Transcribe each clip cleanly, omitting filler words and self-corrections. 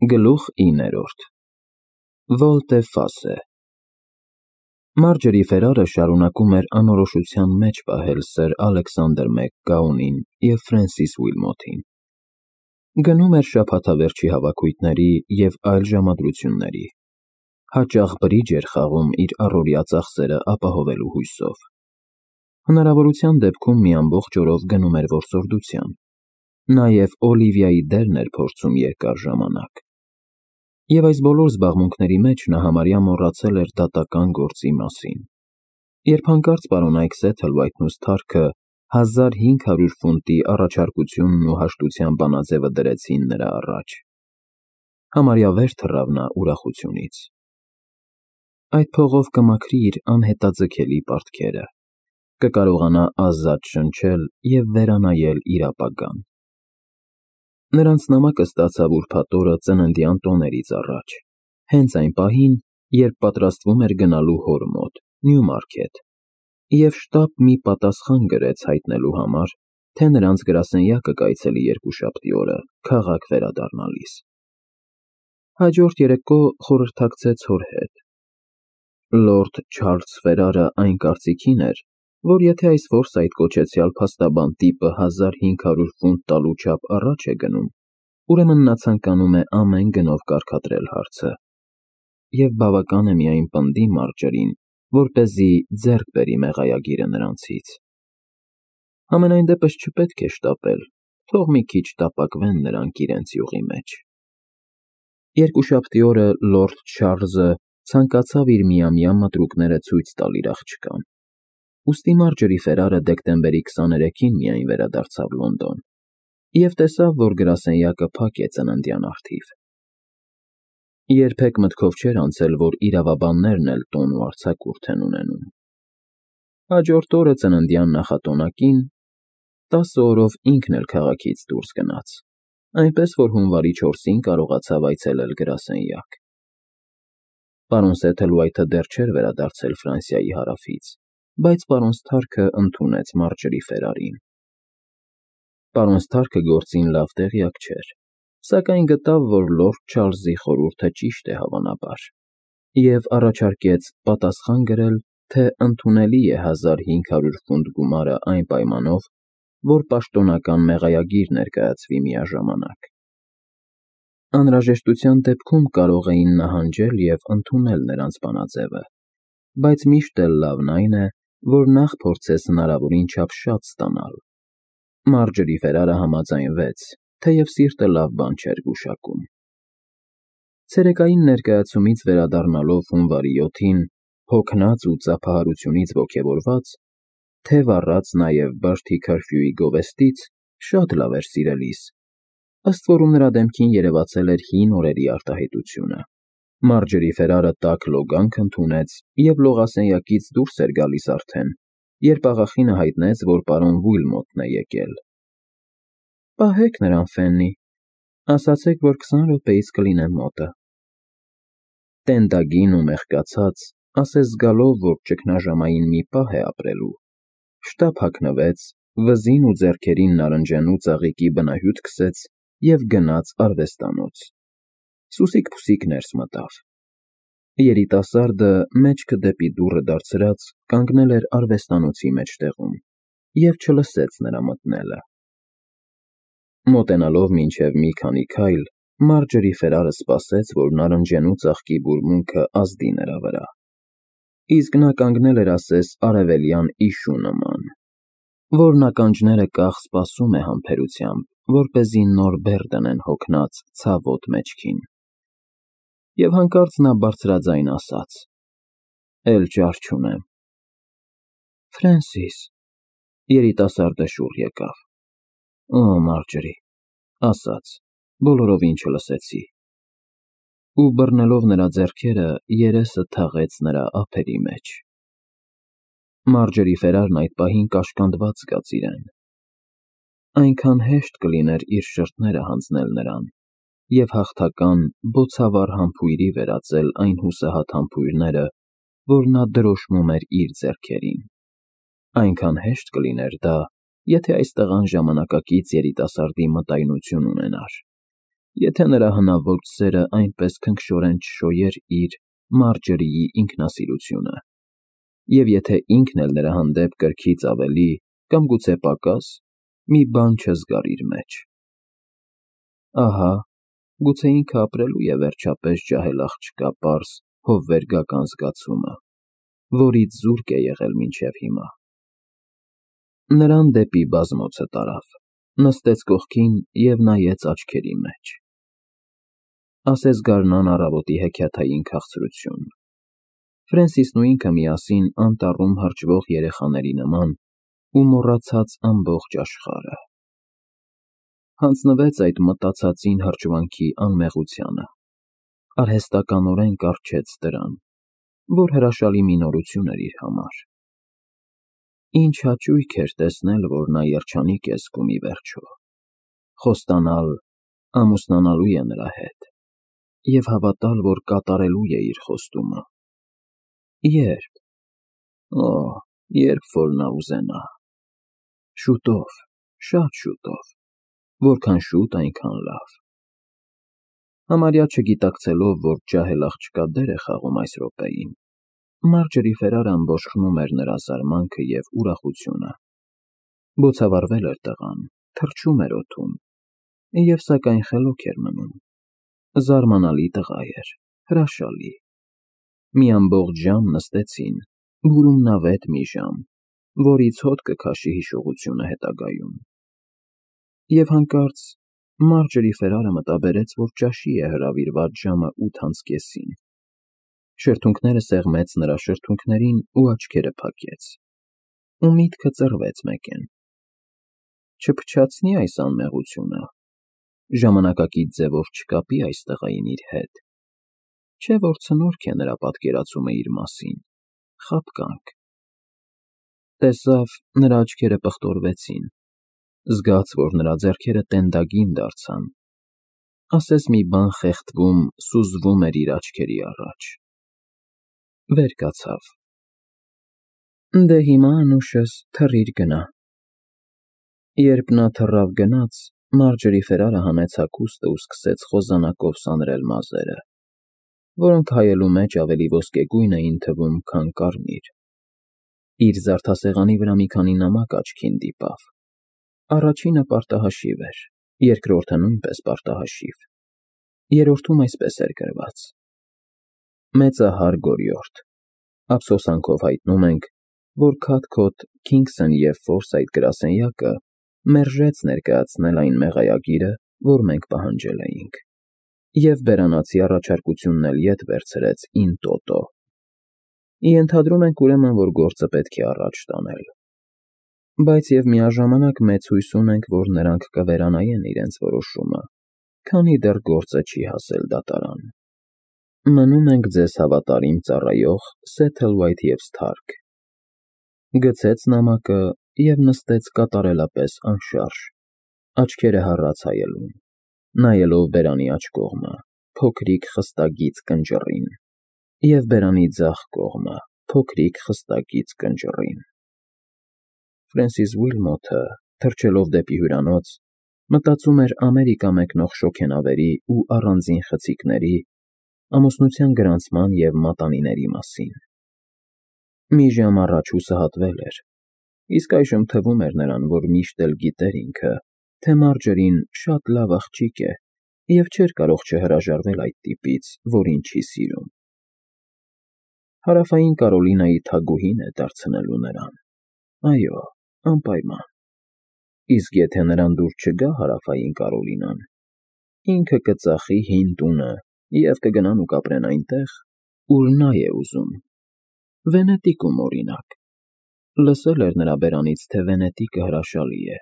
Գլուխ 9 Վոլտե-ֆասե Մարջերի Ֆերարը շարունակում էր անորոշության մեջ պահել սըր Ալեքսանդր Մակգաունին և Ֆրենսիս Ուիլմոթին։ Գնում էր շաբաթավերջի հավաքույթների և այլ ժամադրությունների, հաճախ բրիջ էր խաղում իր առօրյա ծախսերը ապահովելու հույսով։ Հնարավորության դեպքում մի ամբողջ օրով գնում էր որսորդության, նաև Օլիվիայի դերն էր փորձում երկար ժամանակ։ Եվ այս բոլոր զբաղմունքների մեջ նա համարյա մոռացել էր դատական գործի մասին, երբ հանկարծ պարոնայք Սեթլվայթն ու Սթարքը 1500 ֆունտի առաջարկությունն ու հաշտության բանաձևը դրեցին նրա առաջ։ Համարյա վեր թռավ նա ուրախությունից։ Այդ փողով կմաքրի իր անհետաձգելի պարտքերը, կկարողանա ազատ շնչել և վերանայել իր ապագան։ Նրանց նամակը ստացավ ուրբաթ օրը ծննդյան տոներից առաջ, հենց այն պահին, երբ պատրաստվում էր գնալու հոր մոտ, Նյումարքեթ, և շտապ մի պատասխան գրեց հայտնելու համար, թե նրանց գրասենյակը կայցելի երկուշաբթի օրը, քաղաք վերադառնալիս։ Հաջորդ երեկո խորհրդակցեց հոր հետ։ Լորդ Չարլզ Ֆերարը այն կարծիքին էր, որ եթե այս Ֆորսայթ կոչեցյալ փաստաբան տիպը 1500 ֆունտ տալու չափ առաջ է գնում, ուրեմն նա ցանկանում է ամեն գնով կարգադրել հարցը, և բավական է միայն պնդի Մարջերին, որպեսզի ձեռք բերի մեղայագիրը նրանցից։ Համենայն դեպս չպետք է շտապել, թող մի քիչ տապակվեն նրանք իրենց յուղի մեջ։ Երկուշաբթի օրը լորդ Չարլզը ցանկացավ իր միամյա մտրուկները ցույց տալ իր աղջկան, ուստի Մարջերի Ֆերարը դեկտեմբերի 23-ին միայն վերադարձավ Լոնդոն և տեսավ, որ գրասենյակը փակ է ծննդյան առթիվ։ Երբեք մտքով չէր անցել, որ իրավաբաններն էլ տոն ու արձակուրդ են ունենում։ Հաջորդ օրը ծննդյան նախատոնակին 10 օրով ինքն էլ քաղաքից դուրս գնաց, այնպես որ հունվարի 4-ին կարողացավ այցելել գրասենյակ։ Պարոն Սեթլվայթը դեռ չէր վերադարձել Ֆրանսիայի հարավից, բայց պարոն Սթարքը ընդունեց Մարջերի Ֆերարին։ Պարոն Սթարքը գործին լավ տեղյակ չէր, սակայն գտավ, որ լորդ Չարլզի խորհուրդը ճիշտ է հավանաբար, և առաջարկեց պատասխան գրել, թե ընդունելի է 1500 ֆունտ գումարը այն պայմանով, որ պաշտոնական մեղայագիր ներկայացվի միաժամանակ։ Անհրաժեշտության դեպքում կարող էին նահանջել և ընդունել նրանց բանաձևը, բայց միշտ էլ լավն այն է, որ նախ փորձես հնարավորին չափ շատ ստանալ։ Մարջերի Ֆերարը համաձայնվեց, թեև սիրտը լավ բան չէր գուշակում։ Ցերեկային ներկայացումից վերադառնալով հունվարի 7-ին, հոգնած ու ծափահարությունից ոգևորված, թև առած նաև Բրդի քըրֆյուի գովեստից, շատ լավ էր սիրելիս, ըստ որում նրա դեմքին երևացել էր հին օրերի արտահայտությունը։ Մարջերի Ֆերարը տաք լոգանք ընդունեց և լողասենյակից դուրս էր գալիս արդեն, երբ աղախինը հայտնեց, որ պարոն Ուիլմոթն է եկել։ Պահեք նրան, Ֆեննի, ասացեք, որ 20 րոպեից կլինեմ մոտը։ Տենդագին ու մեղկացած, ասես զգալով, որ ճգնաժամային մի պահ է ապրելու, շտապ հագնվեց, վզին ու ձեռքերին նարնջանու ծաղիկի բնահյութ քսեց և գնաց արվեստանոց։ Սուսիկ-փուսիկ ներս մտավ։ Երիտասարդը, մեջքը դեպի դուռը դարձրած, կանգնել էր արվեստանոցի մեջտեղում և չլսեց նրա մտնելը։ Մոտենալով մինչև մի քանի քայլ, Մարջերի Ֆերարը սպասեց, որ նարնջանու ծաղկի բուրմունքը ազդի նրա վրա, իսկ նա կանգնել էր ասես արևելյան իշու նման, որն ականջները կախ սպասում է համբերությամբ, որպեսզի նոր բեռ դնեն հոգնած, ցավոտ մեջքին։ Եվ հանկարծ նա բարձրաձայն ասաց. «Էլ ճար չունեմ»։ Ֆրենսիս, երիտասարդը շուռ եկավ։ Օ, Մարջերի, ասաց, բոլորովին չլսեցի։ Ու բռնելով նրա ձեռքերը, երեսը թաղեց նրա ափերի մեջ։ Մարջերի Ֆերարն այդ պահին կաշկանդված զգաց իրեն։ Այնքան հեշտ կլիներ իր շրթները հանձնել նրան և հաղթական, բոցավառ համբույրի վերածել այն հուսահատ համբույրները, որ նա դրոշմում էր իր ձեռքերին։ Այնքան հեշտ կլիներ դա, եթե այս տղան ժամանակակից երիտասարդի մտայնություն ունենար, եթե նրա հնաոճ սերը այնպես քնքշորեն չշոյեր իր Մարջերիի ինքնասիրությունը, և եթե ինքն էլ նրա հանդեպ կրքից ավելի կամ գուցե պակաս մի բան չզգար իր մեջ։ Ահա, գուցե ինքը ապրելու է վերջապես ջահել աղջկա պարզ հովվերգական զգացումը, որից զուրկ է եղել մինչև հիմա։ Նրան դեպի բազմոցը տարավ, նստեց կողքին և նայեց աչքերի մեջ։ Ասես գարնան առավոտի հեքիաթային քաղցրություն։ Ֆրենսիսն ու ինքը միասին անտառում հրճվող երեխաների նման ու մոռացած ամբողջ աշխարհը։ Հանձնվեց այդ մտածածին հրճվանքի անմեղությանը, արհեստականորեն կառչեց դրան, որ հրաշալի մի նորություն էր իր համար։ Ինչ հաճույք էր տեսնել, որ նա երջանիկ է զգում ի վերջո, խոստանալ ամուսնանալու է նրա հետ և հավատալ, որ կատարելու է իր խոստումը։ Երբ։ Օ, երբ որ նա ուզենա։ Շուտով, շատ շուտով, որքան շուտ, այնքան լավ։ Համարյա չգիտակցելով, որ ջահել աղջկա դեր է խաղում այս րոպեին, Մարջերի Ֆերարան բոշխնում էր նրա զարմանքը և ուրախությունը։ Բոցավառվել էր տղան, թռչում էր օդում, և սակայն խելոք էր մնում։ Զարմանալի տղա էր, հրաշալի։ Մի ամբողջ ժամ նստեցին, բուրումնավետ մի ժամ, որից հոտ կքաշի հիշողությունը հետագայում։ Եվ հանկարծ Մարջերի Ֆերարը մտաբերեց, որ ճաշի է հրավիրված ժամը 8:30։ Շրթունքները սեղմեց նրա շրթունքներին ու աչքերը փակեց։ Ու միտքը ծռվեց մեկեն. չփչացնի այս անմեղությունը, ժամանակակից ձևով չկապի այս տղային իր հետ, չէ՞ որ ցնորք է նրա պատկերացումը իր մասին, խաբկանք։ Տեսավ, նրա աչքերը պղտորվեցին, զգաց, որ նրա ձեռքերը տենդագին դարձան, ասես մի բան խեղդվում, սուզվում էր իր աչքերի առաջ։ Վեր կացավ. Դե հիմա անուշս թռիր գնա։ Երբ նա թռավ գնաց, Մարջերի Ֆերարը հանեց հագուստը ու սկսեց խոզանակով սանրել մազերը, որոնք հայելու մեջ ավելի ոսկեգույն էին թվում, քան կարմիր։ Իր զարդասեղանի վրա մի քանի նամակ աչքին դիպավ։ Առաջինը պարտահաշիվ էր, երկրորդը նույնպես պարտահաշիվ։ Երրորդում այսպես էր գրված. Մեծահար Գորիորդ, ափսոսանքով հայտնում ենք, որ Քաթքոթ, Քինգսն և Ֆորսայթ գրասենյակը մերժեց ներկայացնել այն մեղայագիրը, որ մենք պահանջել էինք, և բերանացի առաջարկությունն էլ ետ վերցրեց in toto։ Ենթադրում ենք ուրեմն, որ գործը պետք է առաջ տանել։ Բայց և միաժամանակ մեծ հույս ունենք, որ նրանք կվերանային իրենց որոշումը, քանի դեռ գործը չի հասել դատարան։ Մնում ենք ձեզ հավատարիմ ծառայող Սեթլվայթ և Սթարք։ Գցեց նամակը և նստեց կատարելապես անշարժ, աչքերը հառած հայելուն, նայելով բերանի աջ կողմը, փոքրիկ խստագիծ կնճռին, և բերանի ձախ կողմը, փոքրիկ խստագիծ կնճռին։ Ֆրենսիս Ուիլմոթը, թռչելով դեպի հյուրանոց, մտածում էր Ամերիկա մեկնող շոգենավերի ու առանձին խցիկների, ամուսնության գրանցման և մատանիների մասին։ Մի ժամ առաջ հուսահատվել էր, իսկ այժմ թվում էր նրան, որ միշտ էլ գիտեր ինքը, թե Մարջերին շատ լավ աղջիկ է և չէր կարող չհրաժարվել այդ տիպից, որին չի սիրում։ Հարավային Կարոլինայի թագուհին է դարձնելու նրան։ Այո, անպայման։ Իսկ եթե նրան դուր չգա Հարավային Կարոլինան, ինքը կծախի հին տունը և կգնան ու կապրեն այնտեղ, ուր նա է ուզում։ Վենետիկում, օրինակ։ Լսել էր նրա բերանից, թե Վենետիկը հրաշալի է։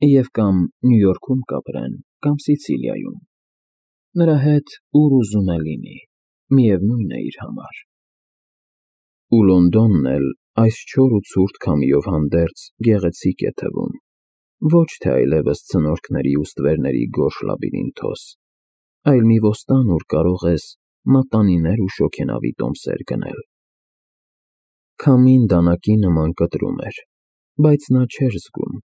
Եվ կամ Նյու Յորքում կապրեն, կամ Սիցիլիայում։ Նրա հետ ուր ուզում է լինի, միևնույն է իր համար։ Ու Լոնդոնն էլ այս չոր ու ցուրտ քամիով հանդերձ գեղեցիկ է թվում, ոչ թե այլևս ցնորքների ու ստվերների գորշ լաբիրինթոս, այլ մի ոստան, ուր կարող ես մատանիներ ու շոգենավի տոմսեր գնել։ Քամին դանակի նման կտրում էր, բայց նա չէր զգում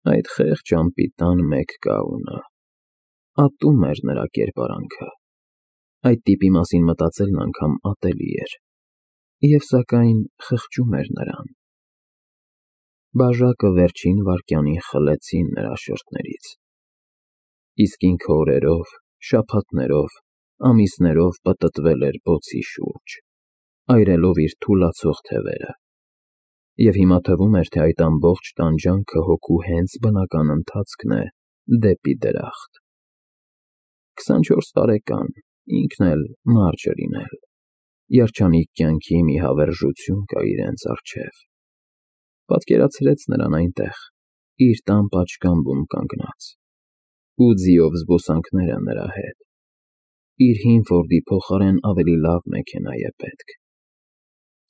այդ խեղճ անպիտան մեկ կաունը, Ատում էր նրա կերպարանքը։ Այդ տիպի մասին մտածելն անգամ ատելի էր, և սակայն խղճում էր նրան։ Բաժակը վերջին վայրկյանին խլեցին նրա շրթներից, իսկ ինքը օրերով, շաբաթներով, ամիսներով պտտվել էր բոցի շուրջ, այրելով իր թուլացող թևերը, և հիմա թվում էր, թե այդ ամբողջ տանջանքը հոգու հենց բնական ընթացքն է դեպի դրախտ։ 24 տարեկան, ինքն էլ, Մարջերին էլ, երջանիկ կյանքի մի հավերժություն կա իրենց առջև։ Պատկերացրեց նրան այնտեղ, իր տան պատշգամբում կանգնած, ու ձիով զբոսանքները նրա հետ։ Իր հին Ֆորդի փոխարեն ավելի լավ մեքենա է պետք։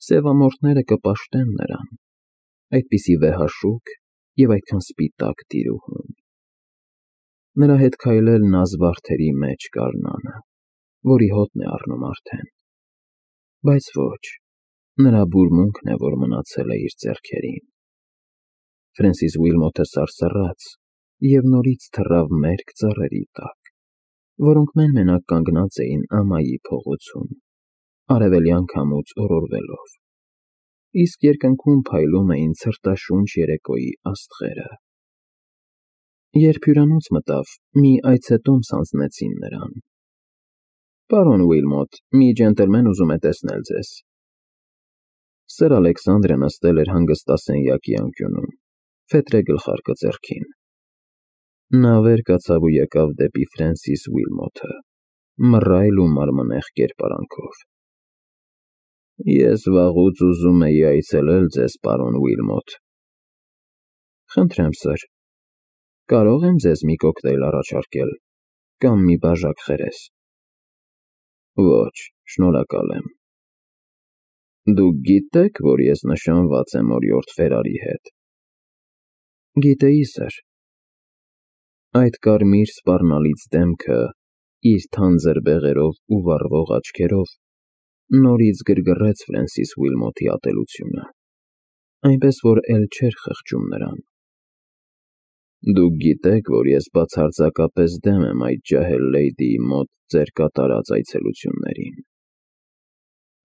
Սևամորթները կպաշտեն նրան, այդպիսի վեհաշուք և այդքան սպիտակ տիրուհուն։ Նրա հետ քայլելն ազվարթերի մեջ գարնանը, որի հոտն է առնում արդեն։ Բայց ոչ, նրա բուրմունքն է, որ մնացել է իր ձեռքերին։ Ֆրենսիս Ուիլմոթը սարսռաց և նորից թռավ մերկ ծառերի տակ, որոնք մեն-մենակ կանգնած էին ամայի փողոցում, արևելյան քամուց օրորվելով, իսկ երկնքում փայլում էին ցրտաշունչ երեկոյի աստղերը։ Երբ հյուրանոց մտավ, մի այցետոմս հանձնեցին նրան։ «Պարոն Ուիլմոթ, մի ջենտլմեն ուզում է տեսնել ձեզ»։ Սր Ալեքսանդրը նստել էր հանգստասենյակի անկյունում, ֆետրե գլխարկը ձեռքին։ Նա վեր կացավ ու եկավ դեպի Ֆրենսիս Ուիլմոթը, մռայլ ու մարմնեղ կերպարանքով։ «Ես վաղուց ուզում էի այցելել ձեզ, պարոն Ուիլմոթ»։ «Խնդրեմ, սըր, կարո՞ղ եմ ձեզ մի կոկտեյլ առաջարկել, կամ մի բաժակ խերես»։ «Ոչ, շնորհակալ եմ»։ «Դուք գիտե՞ք, որ ես նշանված եմ օրիորդ Ֆերարի հետ»։ «Գիտեի, սըր»։ Այդ կարմիր սպառնալից դեմքը, իր թանձր բեղերով ու վառվող աչքերով, նորից գրգռեց Ֆրենսիս Ուիլմոթի ատելությունը, այնպես որ էլ չէր խղճում նրան։ «Դուք գիտեք, որ ես բացարձակապես դեմ եմ այդ ջահել լեյդիի մոտ ձեր կատարած այցելություններին։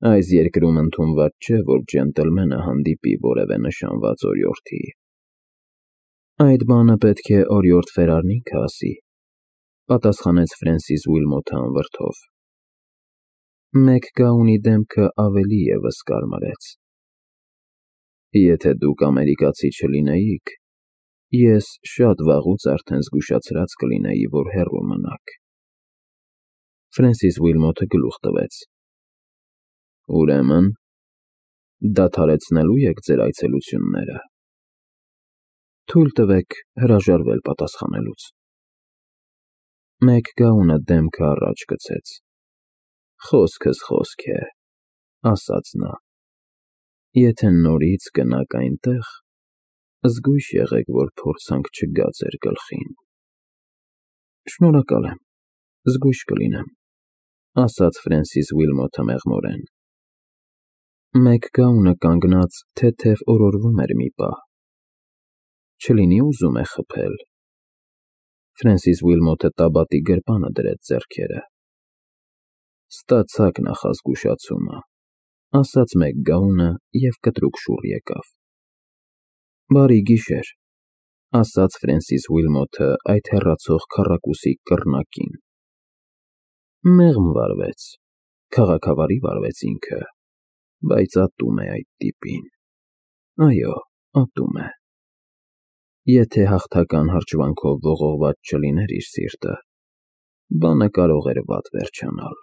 Այս երկրում ընդունված չէ, որ ջենտլմենը հանդիպի որևէ նշանված օրիորդի»։ «Այդ բանը պետք է օրիորդ Ֆերարն ինքը ասի», պատասխանեց Ֆրենսիս Ուիլմոթը անվրդով։ Մեկգաունի դեմքը ավելի ևս կարմրեց։ «Եթե դուք ամերիկացի չլինեիք, ես շատ վաղուց արդեն զգուշացրած կլինեի, որ հեռու մնաք»։ Ֆրենսիս Ուիլմոթը գլուխ տվեց։ «Ուրեմն, դադարեցնելու եք ձեր այցելությունները»։ «Թույլ տվեք հրաժարվել պատասխանելուց»։ Մեկգաունը դեմքը առաջ գցեց։ «Խոսքս խոսք է», ասաց նա։ «Եթե նորից գնաք այնտեղ, զգույշ եղեք, որ փորձանք չգա ձեր գլխին»։ «Շնորհակալ եմ, զգույշ կլինեմ», ասաց Ֆրենսիս Ուիլմոթը մեղմորեն։ Մեկգաունը կանգնած թեթև օրորվում էր մի պահ։ «Չլինի ուզում է խփել»։ Ֆրենսիս Ուիլմոթը տաբատի գրպանը դրեց ձեռքերը։ «Ստացաք նախազգուշացումը», ասաց Մեկգաունը և կտրուկ շուռ եկավ։ «Բարի գիշեր», ասաց Ֆրենսիս Ուիլմոթը այդ հեռացող քառակուսի կռնակին։ Մեղմ վարվեց, քաղաքավարի վարվեց ինքը, բայց ատում է այդ տիպին։ Այո, ատում է։ Եթե հաղթական հրճվանքով ողողված չլիներ իր սիրտը, բանը կարող էր վատ վերջանալ։